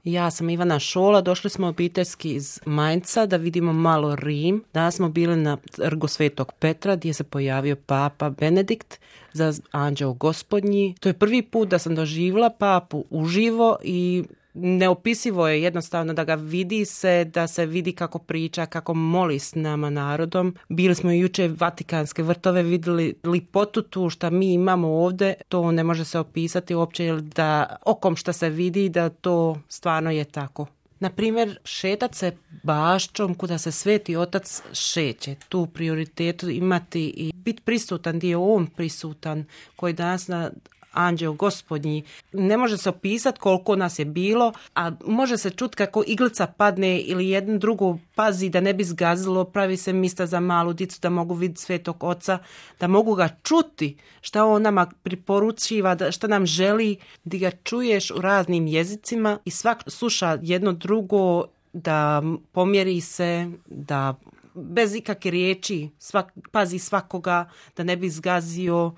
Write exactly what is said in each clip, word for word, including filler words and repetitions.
Ja sam Ivana Šola, došli smo obiteljski iz Mainca da vidimo malo Rim. Danas smo bili na trgu Svetog Petra gdje se pojavio Papa Benedikt za Anđeo Gospodnji. To je prvi put da sam doživjela papu uživo i neopisivo je jednostavno da ga vidi se, da se vidi kako priča, kako moli s nama narodom. Bili smo jučer Vatikanske vrtove, vidjeli lipotu tu šta mi imamo ovdje, to ne može se opisati uopće, jer da okom šta se vidi da to stvarno je tako. Na primjer, šetat se baščom kuda se Sveti Otac šeće, tu prioritetu imati i biti prisutan gdje je on prisutan, koji danas na Anđeo Gospodnji. Ne može se opisati koliko nas je bilo, a može se čuti kako iglica padne ili jedno drugo pazi da ne bi zgazilo, pravi se mista za malu dicu da mogu vidjeti Svetog Oca, da mogu ga čuti šta on nama priporučiva, šta nam želi, da ga čuješ u raznim jezicima i svak sluša jedno drugo, da pomjeri se, da bez ikakve riječi svak, pazi svakoga, da ne bi zgazio,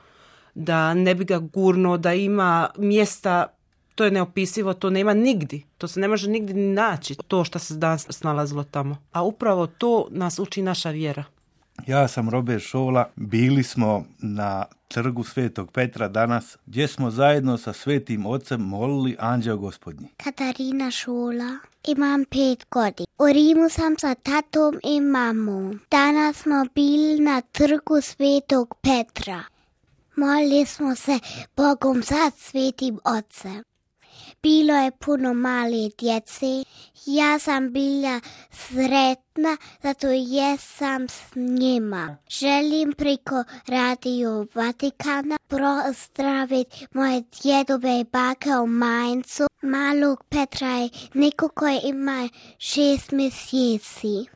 da ne bi ga gurno, da ima mjesta, to je neopisivo, to nema nigdje. To se ne može nigdje ni naći, to što se danas snalazilo tamo. A upravo to nas uči naša vjera. Ja sam Robert Šola, bili smo na trgu Svetog Petra danas, gdje smo zajedno sa Svetim Ocem molili Anđeo Gospodnji. Katarina Šola, imam pet godina. U Rimu sam sa tatom i mamom. Danas smo bili na trgu Svetog Petra. Molili smo se Bogom za Svetim Ocem. Bilo je puno male djece. Ja sam bila sretna, zato jesam s njima. Želim preko Radio Vatikana pozdraviti moje djedove i bake u Maincu. Malog Petra je neko koji ima šest mjeseci.